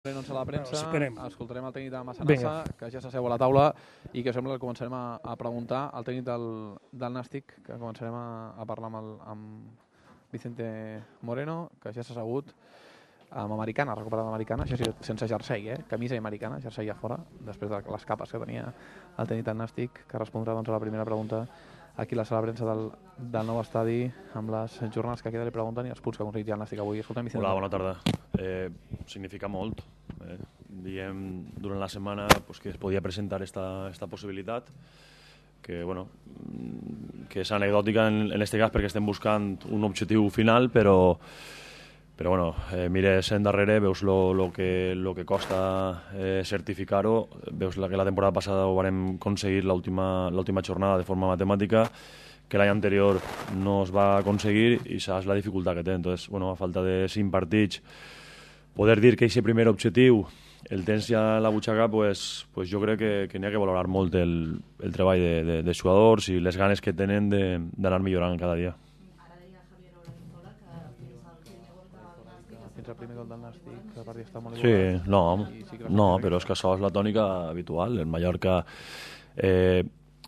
a la premsa, escoltarem el tècnic de Massanassa, que ja s'asseu a la taula i que sembla que començarem a preguntar al tècnic del Nàstic, que començarem a parlar amb Vicente Moreno, que ja s'ha assegut amb americana, recuperada americana, això sí, sense jersei, camisa i americana, jersei a fora, després de les capes que tenia el tècnic del Nàstic, que respondrà a la primera pregunta aquí a la sala de premsa del nou estadi, amb les jornades que queda li pregunten i els punts que ha aconseguit ja el Nàstic avui. Escolta'm, Vicente. Hola, bona tarda. Significa molt. Diem durant la setmana que es podia presentar esta possibilitat, que, bueno, que és anecdòtica en este cas perquè estem buscant un objectiu final, però bueno, mires endarrere, veus lo que costa certificar-ho, veus que la temporada passada ho vam aconseguir l'última jornada de forma matemàtica, que l'any anterior no es va aconseguir i saps la dificultat que té. Entonces, bueno, a falta de 5 partits, poder dir que aquest primer objectiu el tens ja a la butxaca, pues jo crec que n'hi ha que valorar molt el treball de jugadors i les ganes que tenen d'anar millorant cada dia. El primer gol del Nàstic, el partit està molt igualat. Sí, no, però és que això és la tònica habitual. El Mallorca,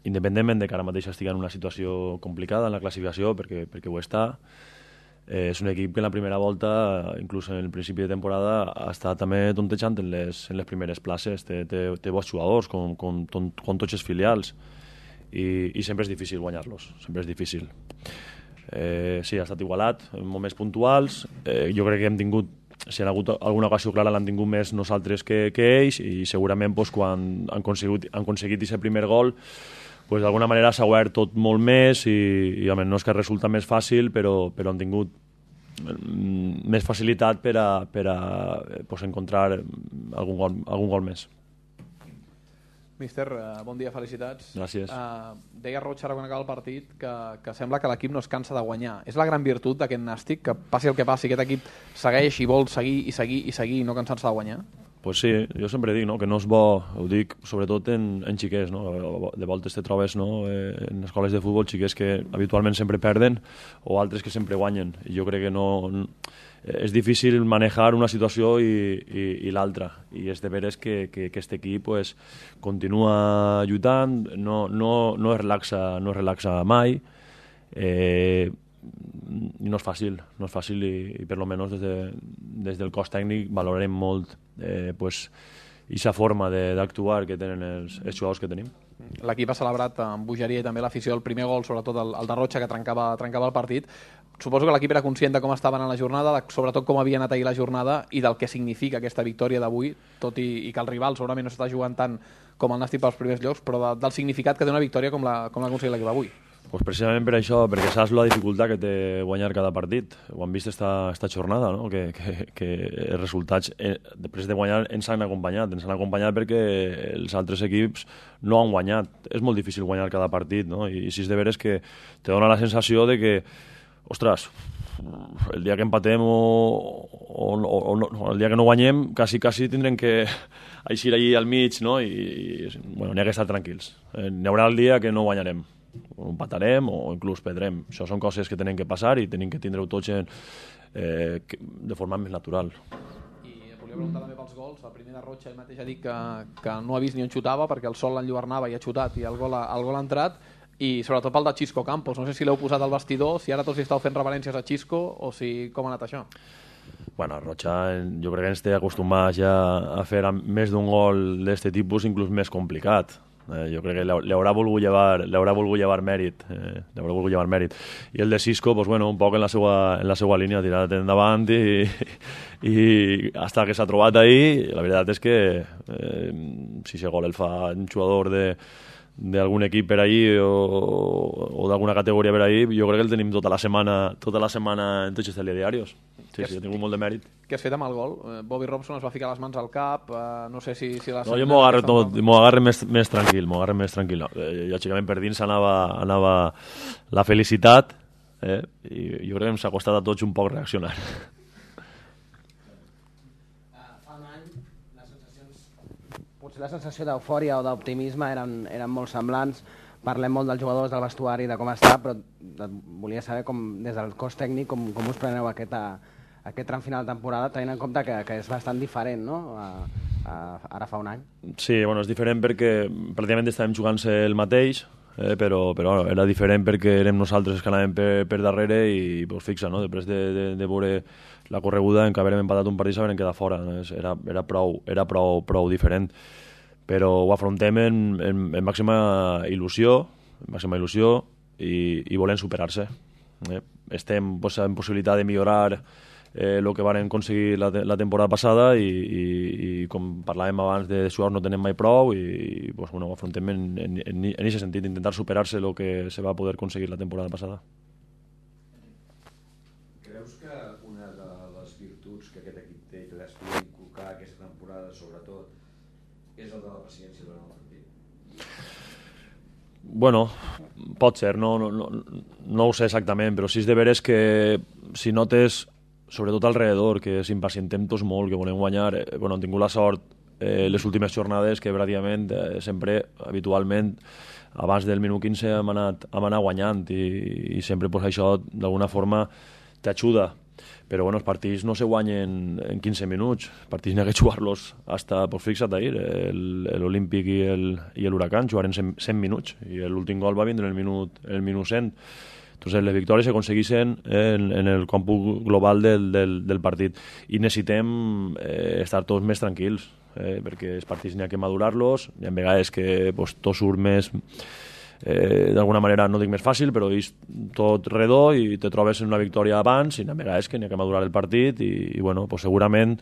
independentment de que ara mateix estigui en una situació complicada en la classificació, perquè ho està, és un equip que en la primera volta, inclús en el principi de temporada, està també tontejant en les primeres places. Té bons jugadors, com tots els filials, i sempre és difícil guanyar-los, sempre és difícil. Sí, ha estat igualat en moments puntuals. Jo crec que hem tingut, si han hagut alguna ocasió clara, l'han tingut més nosaltres que ells, i segurament quan han aconseguit aquest primer gol, d'alguna manera s'ha obert tot molt més i no és que resulta més fàcil, però han tingut més facilitat per a encontrar algun gol més. Míster, bon dia, felicitats. Gràcies. Deia Roig ara quan acaba el partit que sembla que l'equip no es cansa de guanyar. És la gran virtut d'aquest Nàstic, que passi el que passi, aquest equip segueix i vol seguir i seguir i seguir i no cansar-se de guanyar? Pues sí, jo sempre dic que no és bo, ho dic sobretot en xiquets, de voltes te trobes en escoles de futbol xiquets que habitualment sempre perden o altres que sempre guanyen. I jo crec que no és difícil manejar una situació i l'altra, i és de veres que aquest equip continua lluitant, no es relaxa mai, i no és fàcil, i per almenys des del cos tècnic valorarem molt aquesta forma d'actuar que tenen els jugadors que tenim. L'equip ha celebrat amb bogeria i també l'afició el primer gol, sobretot el de Roig, que trencava el partit. Suposo que l'equip era conscient de com estaven en la jornada, sobretot com havia anat ahir la jornada i del que significa aquesta victòria d'avui, tot i que el rival segurament no s'està jugant tant com el Nàstic pels primers llocs, però del significat que té una victòria com l'ha aconseguit l'equip avui. Pues precisament per això, perquè saps la dificultat que té guanyar cada partit. Ho hem vist esta jornada, no? que els resultats després de guanyar ens han acompanyat perquè els altres equips no han guanyat. És molt difícil guanyar cada partit, no? I si és de veres que te dona la sensació de que, ostres, el dia que empatem o el dia que no guanyem, quasi tindrem que eixir allí al mig, no? I bueno, n'hi ha que estar tranquils. N'hi haurà el dia que no guanyarem, o empatarem o inclús perdrem. Això són coses que tenen que passar i tenim que tindre-ho tots de forma més natural. I et volia preguntar també pels gols. El primer de Roig ell mateix ha dit que no ha vist ni on xutava perquè el sol l'enlluernava i ha xutat i el gol ha entrat, i sobretot pel de Xisco Campos. No sé si l'heu posat al vestidor, si ara tots hi estàu fent reverències a Xisco o si com ha anat això. Bueno, Rocha jo crec que ens té acostumats ja a fer més d'un gol d'aquest tipus, inclús més complicat. Jo crec que li haurà volgut llevar mèrit, i el de Xisco, un poc en la seva línia, tirat endavant i hasta que s'ha trobat ahí. La veritat és que si aquest gol el fa un jugador d'algun equip per ahí o d'alguna categoria per ahí, jo crec que el tenim tota la setmana en tots els telediaris. Sí, ha tingut molt de mèrit. Què has fet amb el gol? Bobby Robson es va ficar les mans al cap, no sé si la... No, jo m'ho agarre més tranquil, lògicament per dins anava la felicitat, i jo crec que ens ha costat a tots un poc reaccionar. Fa un any les sensacions, potser la sensació d'eufòria o d'optimisme eren molt semblants. Parlem molt dels jugadors, del vestuari, de com està, però volia saber des del cos tècnic com us preneu aquesta aquest tram final de temporada, tenint en compte que és bastant diferent, no?, ara fa un any. Sí, bueno, és diferent perquè pràcticament estàvem jugant-se el mateix, però era diferent perquè érem nosaltres que anàvem per darrere i pues, fixa, no? Després de veure la correguda en què havíem empatat un partit s'havíem quedat fora, no? Era prou diferent, però ho afrontem en màxima il·lusió i volem superar-se. Estem pues, en possibilitat de millorar el que van aconseguir la temporada passada i com parlàvem abans de jugadors no tenem mai prou i pues, bueno, ho afrontem en aquest sentit, intentar superar-se el que se va poder aconseguir la temporada passada. Creus que una de les virtuts que aquest equip té i que has pogut inculcar aquesta temporada sobretot és el de la paciència durant el partit? Bueno, pot ser, no ho sé exactament, però sí és de veres que si notes sobretot alrededor, que s'impacientem tots molt, que volem guanyar. Bueno, hem tingut la sort les últimes jornades que pràcticament sempre, habitualment, abans del minut 15 hem anat guanyant i sempre pues, això d'alguna forma t'ajuda. Però bueno, els partits no se guanyen en 15 minuts, els partits n'hi ha que jugar-los hasta, pues fixa't ahir, l'Olímpic i l'Huracán jugaren 100 minuts i l'últim gol va vindre en el minut 100. Entonces, les victòries se aconsegueixen en el còmput global del partit i necessitem estar tots més tranquils, perquè els partits n'hi ha que madurar-los, hi ha vegades que pues, tot surt més, d'alguna manera no dic més fàcil, però és tot redó i te trobes en una victòria abans i hi ha vegades que n'hi ha que madurar el partit i bueno, pues, segurament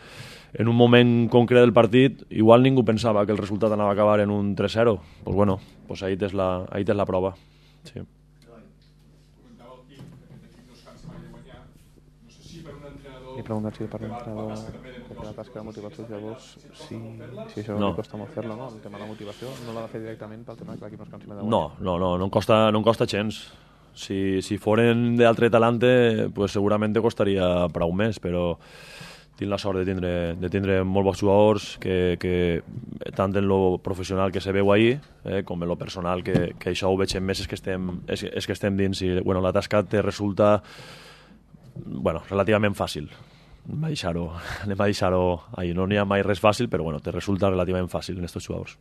en un moment concret del partit igual ningú pensava que el resultat anava a acabar en un 3-0, pues, bueno, pues ahí tens la prova. Sí. He preguntat si per l'entrenador la tasca de motivació dels jugadors, si això no li costa molt fer-la, no? El tema de la motivació no l'ha de fer directament pel tema que l'equip no es cansi de guanyar. No em costa gens. Si foren d'altre talante, pues segurament te costaria prou més, però tinc la sort de tindre molt bons jugadors que tant en lo professional que se veu ahir com en lo personal, que això ho veig més és que estem dins i bueno, la tasca te resulta relativament fàcil. Anem a deixar-ho ahí. No n'hi ha mai res fàcil, però bueno, te resulta relativament fàcil en aquests jugadors.